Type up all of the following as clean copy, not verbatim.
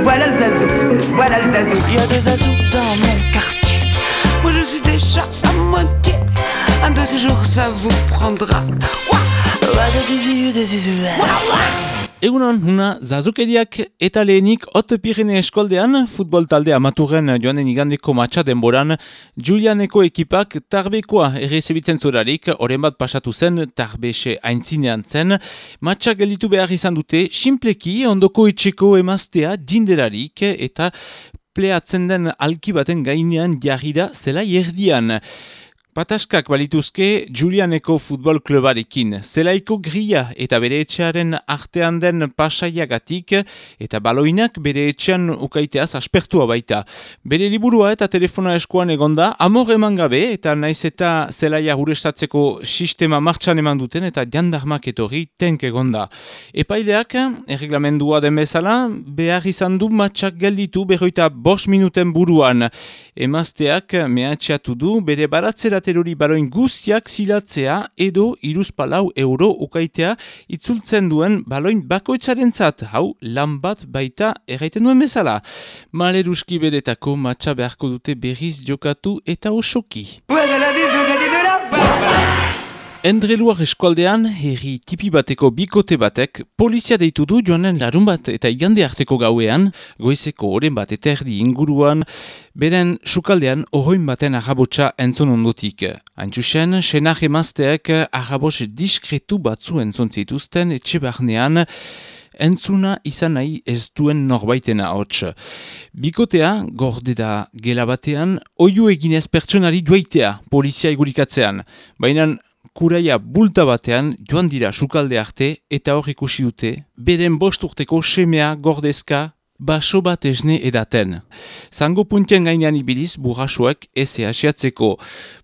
Voilà le zazou, voilà le zazou. Il y a des zazous dans mon quartier. Moi je suis déjà à moitié. Un de ces jours ça vous prendra. Egunon, huna zazukeriak eta lehenik Hot Pirene eskoldean futbol talde amaturren joanen igandeko matxa denboran Julianeko ekipak Tarbekoa errezebitzen zurarik, oren bat pasatu zen Tarbese aintzinean zen, matxa gelditu behar izan dute simpleki ondoko etxeko emaztea jinderarik eta pleatzen den alki baten gainean jarri da zelai erdian. Pataskak balituzke Julianeko futbol klubarekin. Zelaiko gria eta bere etxearen artean den pasaiagatik eta baloinak bere etxean ukaiteaz aspertua baita. Bere liburua eta telefona eskuan egonda, amor eman gabe eta naiz eta zelaia urestatzeko sistema martxan eman duten eta jandarmak etorri tenk egonda. Epaileak, erreglamendua den bezala, behar izan du matxak gelditu 45 minuten buruan. Emazteak mehatxeatu du bere baratzera terori baroin guztiak zilatzea edo 3 euro ukaitea itzultzen duen baloin bakoitzarentzat, hau lan bat baita erraiten duen bezala. Maleruski beretako matxa beharko dute berriz jokatu eta osoki. Endreluar eskualdean, herri tipi bateko bikote batek, polizia deitu du joanen larun bat eta igande arteko gauean, goizeko oren bat eta erdi inguruan, beren sukaldean ohoin baten arrabotsa entzun ondotik. Haintxusen, senar emazteek arrabos diskretu batzu entzun zituzten etxe barnean, entzuna izan nahi ez duen norbaitena hots. Bikotea, gorde da gela batean, oiu eginez pertsonari joaitea polizia igurikatzean. Baina kuraia bulta batean joan dira sukalde arte eta hor ikusi dute beren 5 urteko semea gordezka baso bat esne edaten. Zango puntien gainean ibiliz burrasuak eze asiatzeko.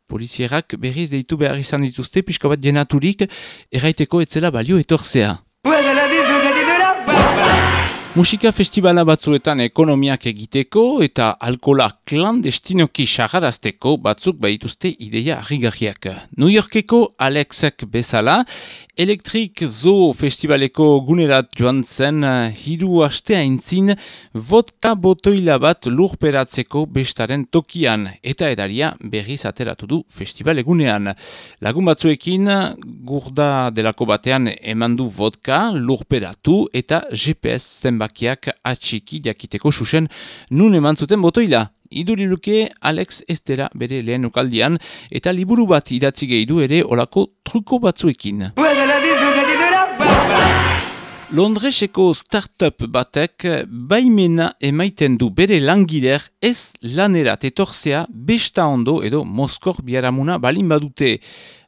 Polizierak berriz deitu behar izan dituzte pixka bat jenaturik erraiteko etzela balio etorzea. Musika festivala batzuetan ekonomiak egiteko eta alkola klandestinoki sagarazteko batzuk baituzte ideia harrigarriak. New Yorkeko Alexek bezala, Electric Zoo festivaleko gunerat joan zen 3 aste aintzin vodka botoila bat lurperatzeko bestaren tokian eta edaria berriz ateratu du festival egunean. Lagun batzuekin gurda delako batean emandu vodka lurperatu eta GPS zenbakiak atxiki jakiteko susen nun eman zuten botoila. Iduriluke Alex Estera bere lehen ukaldian eta liburu bat idatzi gehidu ere olako truko batzuekin. Londreseko startup batek baimena emaiten du bere langiler ez lanerat etorzea besta ondo edo Moskor biaramuna balin badute.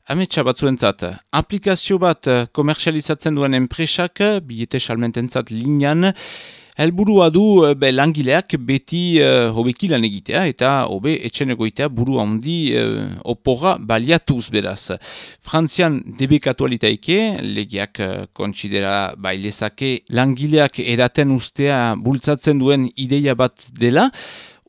Ametsa batzuentzat, aplikazio bat komerzializatzen duen enpresak, bilete salmententzat linean, helburua du langileak beti hobeki lan egitea eta hobe etxen egoitea buru handi oporra baliatuz beraz. Frantzian debekatu alitaike, legiak kontsidera bailezake langileak edaten ustea bultzatzen duen ideia bat dela,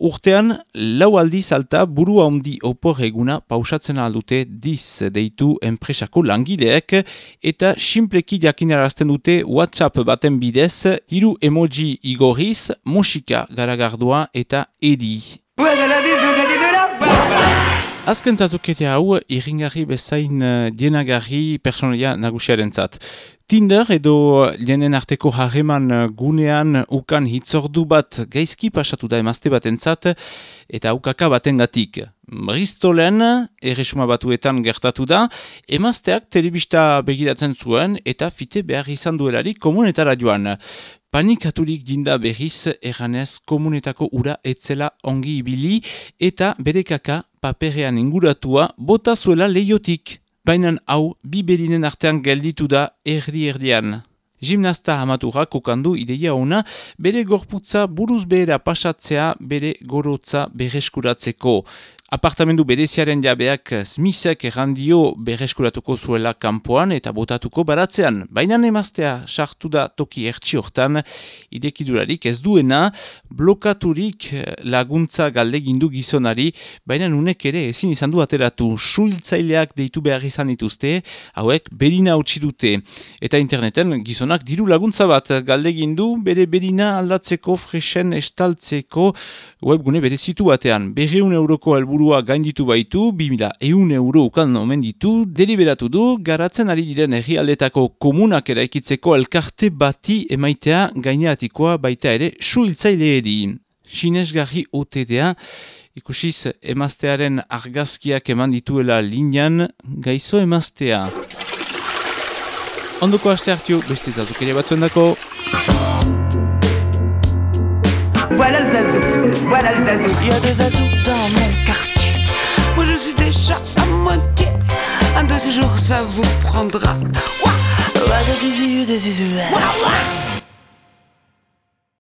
urtean, 4 aldiz alta buru handi opor eguna pausatzen aldute diz deitu enpresako langileek eta simpleki jakinarazten dute WhatsApp baten bidez 3 emoji igorriz, musika garagardua eta edi. Azken zazukete hau, irringarri bezain dienagarri personalia nagusiarentzat. Tinder edo jenen arteko harreman gunean ukan hitzordu bat gaizki pasatu da emazte batentzat eta ukaka batengatik. Bristolen, erresuma batuetan gertatu da, emazteak telebista begiratzen zuen eta fite behar izan duelarik komunetara joan. Panikaturik jinda berriz erranez komunetako ura etzela ongi ibili eta bere kaka paperean inguratua bota zuela leiotik. Baina hau, 2 berinen artean gelditu da erdi-erdian. Gimnasta amaturrak kokandu ideia ona, bere gorputza buruz behera pasatzea bere gorotza bereskuratzeko. Apartamendu bereziaren jabeak Smithek errandio berreskuratuko zuela kanpoan eta botatuko baratzean. Baina emaztea sartu da toki ertsi hortan, idekidurarik ez duena, blokaturik laguntza galdegindu gizonari, baina unek ere ezin izan du ateratu. Suhiltzaileak deitu behar izan dituzte, hauek berina utzi dute. Eta interneten gizonak diru laguntza bat galdegindu, bere berina aldatzeko, fresen estaltzeko webgune berezitu batean. 200 euroko helburua gainditu baitu, 2.100 euro ukan omen ditu, deliberatu du, garatzen ari diren herrialdetako komunak eraikitzeko elkarte bati emaitea gaineatikoa baita ere suhiltzaileedi. Sinesgarri OTDA, ikusiz emaztearen argazkiak eman dituela linean, gaizo emaztea. Ondoko aste hartio, beste zazukeria batzuen dako. Voilà le Zazou. Il y a des Zazous dans mon quartier. Moi je suis déjà à moitié. Un de ces jours ça vous prendra. Ouah, ouah, ouah.